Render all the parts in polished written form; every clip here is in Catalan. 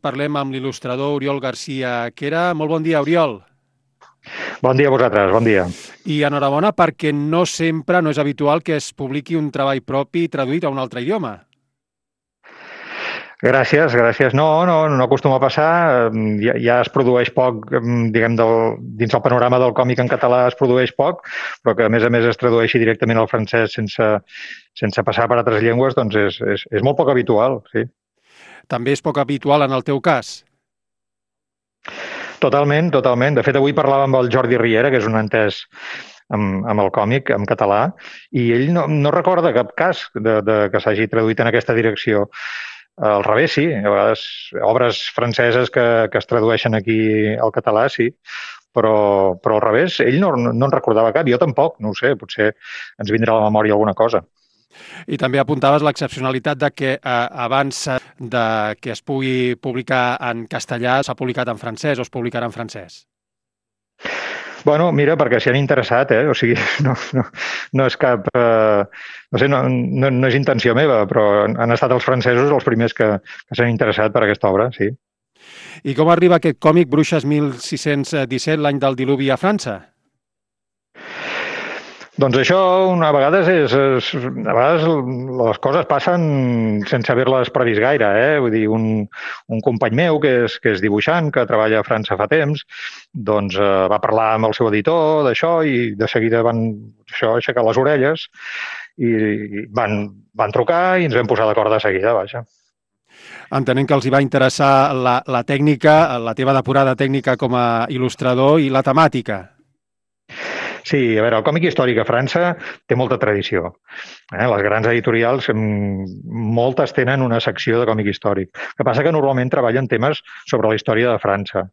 Parlem amb l'il·lustrador Oriol Garcia Quera. Molt bon dia, Oriol. Bon dia a vosaltres, bon dia. I enhorabona perquè no sempre, no és habitual que es publiqui un treball propi traduït a un altre idioma. Gràcies, gràcies. No acostuma a passar. Ja es produeix poc, diguem, dins el panorama del còmic en català es produeix poc, però que a més es tradueixi directament al francès sense passar per altres llengües, doncs és molt poc habitual, sí. També és poc habitual en el teu cas. Totalment, totalment. De fet, avui parlàvem amb el Jordi Riera, que és un entès amb el còmic, en català, i ell no recorda cap cas que s'hagi traduït en aquesta direcció. Al revés, sí. A vegades obres franceses que es tradueixen aquí al català, sí. Però al revés, ell no en recordava cap. Jo tampoc, no ho sé. Potser ens vindrà a la memòria alguna cosa. I també apuntaves l'excepcionalitat de que abans de que es pugui publicar en castellà s'ha publicat en francès o es publicarà en francès. Bueno, mira, perquè s'hi han interessat, O sigui, no és cap... no sé, no és intenció meva, però han estat els francesos els primers que s'han interessat per aquesta obra, sí. I com arriba aquest còmic Bruixes 1617, l'any del diluvi a França? Doncs això, a vegades les coses passen sense haver-les previst gaire, Vull dir, un company meu que és dibuixant, que treballa a França fa temps, doncs va parlar amb el seu editor d'això i de seguida van aixecar les orelles i van trucar i ens vam posar d'acord de seguida, vaja. Entenent que els hi va interessar la tècnica, la teva depurada tècnica com a il·lustrador i la temàtica. Sí, a veure, el còmic històric a França té molta tradició. Les grans editorials, moltes tenen una secció de còmic històric. El que passa que normalment treballen temes sobre la història de França.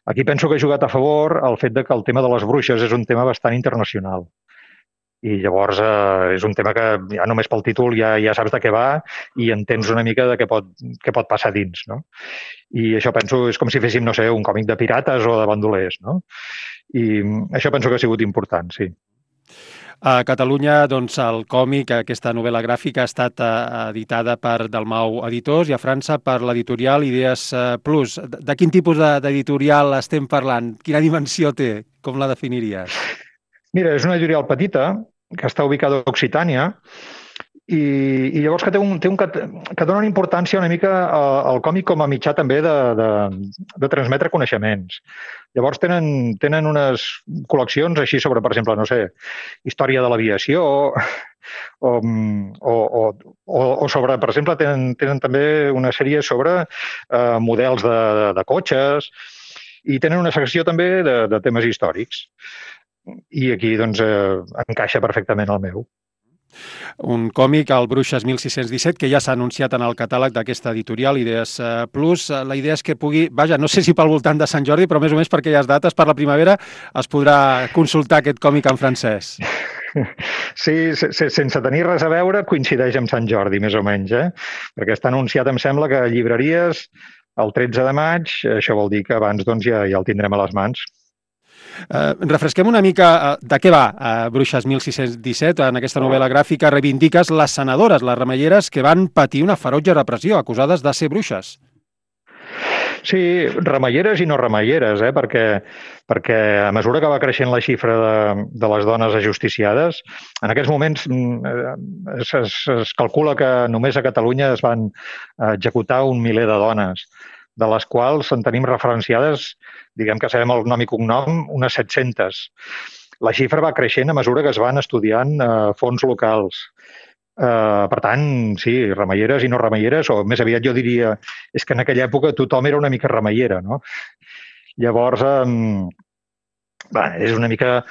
Aquí penso que ha jugat a favor el fet de que el tema de les bruixes és un tema bastant internacional. I llavors és un tema que ja només pel títol ja saps de què va i entens una mica de què pot passar dins, no? I això penso és com si féssim, no sé, un còmic de pirates o de bandolers, no? I això penso que ha sigut important, sí. A Catalunya, doncs, el còmic, aquesta novel·la gràfica, ha estat editada per Dalmau Editors i a França per l'editorial Idees Plus. De quin tipus d'editorial estem parlant? Quina dimensió té? Com la definiries? Mira, és una editorial petita que està ubicada a Occitània i llavors que que donen importància una mica al còmic com a mitjà també de transmetre coneixements. Llavors tenen unes col·leccions així sobre, per exemple, no sé, història de l'aviació o sobre, per exemple, tenen també una sèrie sobre models de cotxes i tenen una secció també de temes històrics. I aquí, doncs, encaixa perfectament el meu. Un còmic, el Bruixes 1617, que ja s'ha anunciat en el catàleg d'aquesta editorial, Idees Plus. La idea és que pugui, vaja, no sé si pel voltant de Sant Jordi, però més o menys per aquelles dates, per la primavera, es podrà consultar aquest còmic en francès. Sí, sense tenir res a veure, coincideix amb Sant Jordi, més o menys, Perquè està anunciat, em sembla, que a llibreries el 13 de maig, això vol dir que abans doncs, ja el tindrem a les mans. Refresquem una mica de què va Bruixes 1617. En aquesta novel·la gràfica reivindiques les senadores, les remeieres que van patir una ferotge repressió, acusades de ser bruixes. Sí, remeieres i no remeieres, perquè a mesura que va creixent la xifra de les dones ajusticiades, en aquests moments es calcula que només a Catalunya es van executar 1 miler de dones, de les quals en tenim referenciades, diguem que sabem el nom i cognom, unes 700. La xifra va creixent a mesura que es van estudiant fons locals. Per tant, sí, remeieres i no remeieres, o més aviat jo diria, és que en aquella època tothom era una mica remeiera, no? Llavors, és una mica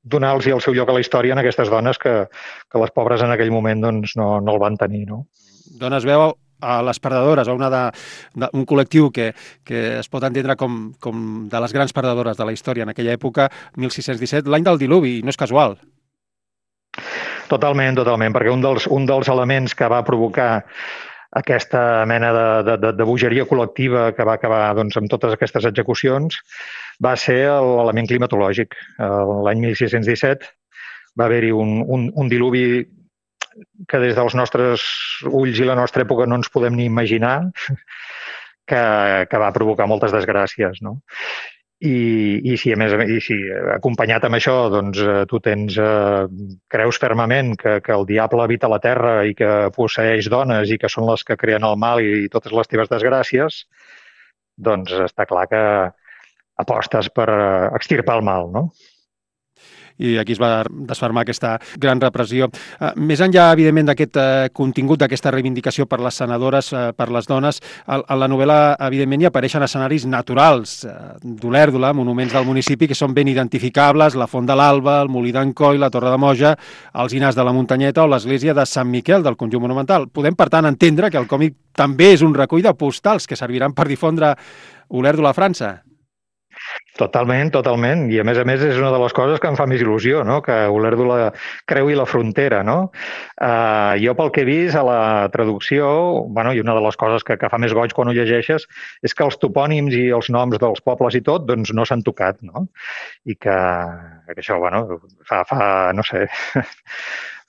donar-los el seu lloc a la història en aquestes dones que les pobres en aquell moment doncs, no el van tenir, no? Dones veu a les perdedores, a un col·lectiu que es pot entendre com de les grans perdedores de la història en aquella època, 1617, l'any del diluvi, no és casual. Totalment, perquè un dels elements que va provocar aquesta mena de bogeria col·lectiva que va acabar doncs, amb totes aquestes execucions va ser l'element climatològic. L'any 1617 va haver-hi un diluvi que des dels nostres ulls i la nostra època no ens podem ni imaginar, que va provocar moltes desgràcies, no? I si, acompanyat amb això, doncs, tu creus fermament que el diable habita la terra i que posseeix dones i que són les que creen el mal i totes les teves desgràcies, doncs està clar que apostes per extirpar el mal, no? I aquí es va desfermar aquesta gran repressió. Més enllà, evidentment, d'aquest contingut, d'aquesta reivindicació per les senadores, per les dones, a la novel·la, evidentment, hi apareixen escenaris naturals d'Olèrdola, monuments del municipi que són ben identificables, la Font de l'Alba, el Molí d'en Coi, la Torre de Moja, els Inars de la Muntanyeta o l'església de Sant Miquel del conjunt monumental. Podem, per tant, entendre que el còmic també és un recull de postals que serviran per difondre Olèrdola a França. Totalment, totalment. I a més és una de les coses que em fa més il·lusió, no? Que Olèrdola creui la frontera, no? Jo pel que he vist a la traducció, i una de les coses que fa més goig quan ho llegeixes és que els topònims i els noms dels pobles i tot doncs no s'han tocat, no? I que això, fa no sé,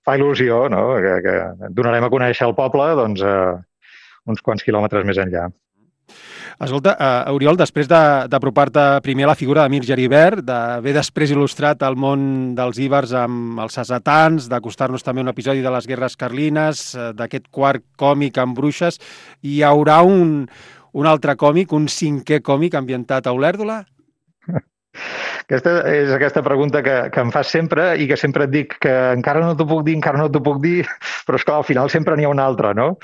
fa il·lusió, no? Que donarem a conèixer el poble doncs uns quants quilòmetres més enllà. Escolta, Oriol, després d'apropar-te primer a la figura de Mir Geribert, d'haver després il·lustrat el món dels íbers amb els sassetans, d'acostar-nos també a un episodi de les guerres carlines, d'aquest quart còmic amb bruixes, hi haurà un altre còmic, un cinquè còmic ambientat a Olèrdola? Aquesta pregunta que em fas sempre i que sempre et dic que encara no t'ho puc dir, però és clar, al final sempre n'hi ha una altra, no?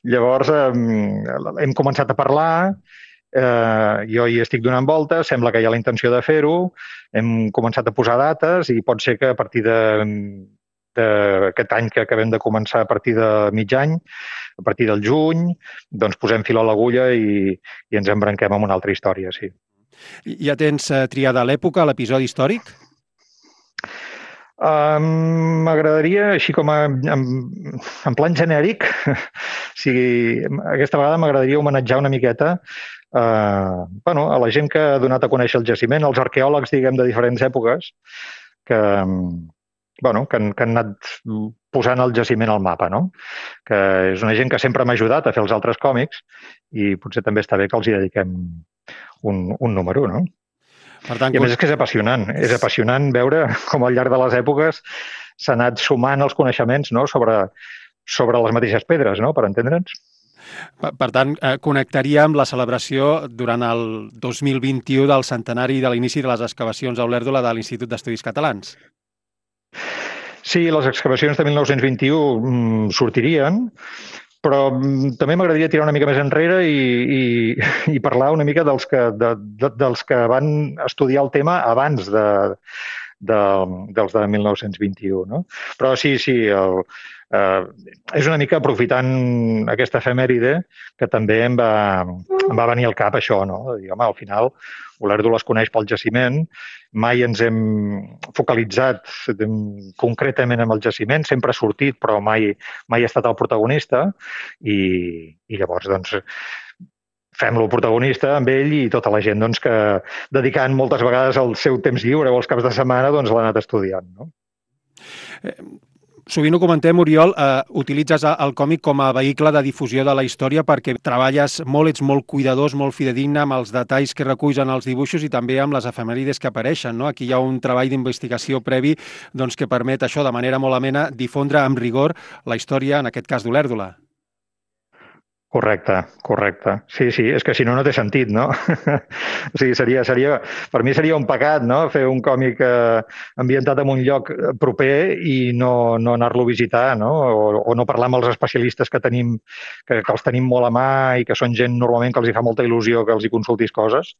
Llavors hem començat a parlar, jo hi estic donant voltes, sembla que hi ha la intenció de fer-ho, hem començat a posar dates i pot ser que a partir d'aquest any que acabem de començar, a partir de mig any, a partir del juny, doncs posem fil a l'agulla i ens embranquem amb una altra història, sí. Ja tens triada l'època, l'episodi històric? M'agradaria, així com en plan genèric, aquesta vegada m'agradaria homenatjar una miqueta a la gent que ha donat a conèixer el jaciment, els arqueòlegs, diguem, de diferents èpoques, que han anat posant el jaciment al mapa, no? Que és una gent que sempre m'ha ajudat a fer els altres còmics i potser també està bé que els hi dediquem un número, no? Per tant, i a més és que és apassionant veure com al llarg de les èpoques s'ha anat sumant els coneixements, no? sobre les mateixes pedres, no? Per entendre'ns. Per tant, connectaria amb la celebració durant el 2021 del centenari de l'inici de les excavacions a Olèrdola de l'Institut d'Estudis Catalans. Sí, les excavacions de 1921 sortirien, però també m'agradaria tirar una mica més enrere i parlar una mica dels que van estudiar el tema abans dels de 1921. No? Però sí, és una mica aprofitant aquesta efemèride que també em va venir al cap això, no? Dir, home, al final Olèrdola es coneix pel jaciment, mai ens hem focalitzat concretament en el jaciment, sempre ha sortit però mai ha estat el protagonista i llavors doncs fem-lo protagonista amb ell i tota la gent doncs, que dedicant moltes vegades el seu temps lliure o els caps de setmana doncs l'ha anat estudiant. No? Sovint ho comentem, Oriol, utilitzes el còmic com a vehicle de difusió de la història perquè treballes molt, ets molt cuidadós, molt fidedigne amb els detalls que reculls en els dibuixos i també amb les efemèrides que apareixen. No? Aquí hi ha un treball d'investigació previ doncs, que permet això de manera molt amena difondre amb rigor la història, en aquest cas d'Olèrdola. Correcte. Sí, és que si no, no té sentit, no? O sigui, per mi seria un pecat, no?, fer un còmic ambientat en un lloc proper i no anar-lo a visitar, no? O no parlar amb els especialistes que tenim, que els tenim molt a mà i que són gent normalment que els hi fa molta il·lusió que els hi consultis coses.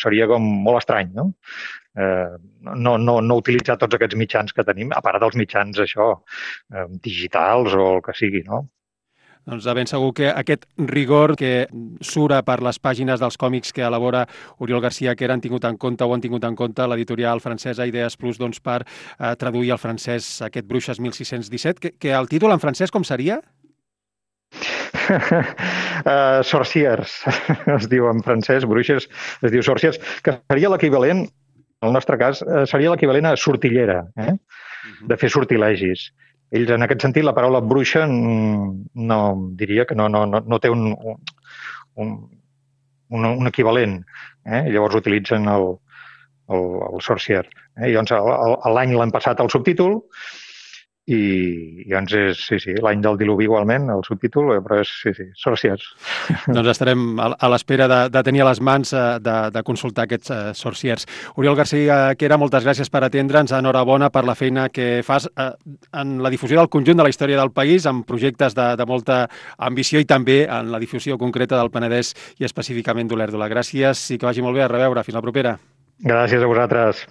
Seria com molt estrany, no? No utilitzar tots aquests mitjans que tenim, a part dels mitjans, digitals o el que sigui, no? Doncs de ben segur que aquest rigor que sura per les pàgines dels còmics que elabora Oriol Garcia, que han tingut en compte l'editorial francesa Idees Plus doncs, per traduir al francès aquest Bruixes 1617, que el títol en francès com seria? Sorciers, es diu en francès, Bruixes, es diu Sorciers, que seria l'equivalent, en el nostre cas, seria l'equivalent a sortillera, de fer sortilegis. Ells, en aquest sentit, la paraula bruixa no diria que no té un equivalent. Llavors utilitzen el sorcier. I llavors l'any l'han passat al subtítol i llavors és, sí, l'any del diluvi igualment, el subtítol, però és, sorciers. Doncs estarem a l'espera de tenir a les mans de consultar aquests sorciers. Oriol Garcia Quera, moltes gràcies per atendre'ns. Enhorabona per la feina que fas en la difusió del conjunt de la història del país, amb projectes de molta ambició i també en la difusió concreta del Penedès i específicament d'Olèrdola. Gràcies i que vagi molt bé. A reveure. Fins la propera. Gràcies a vosaltres.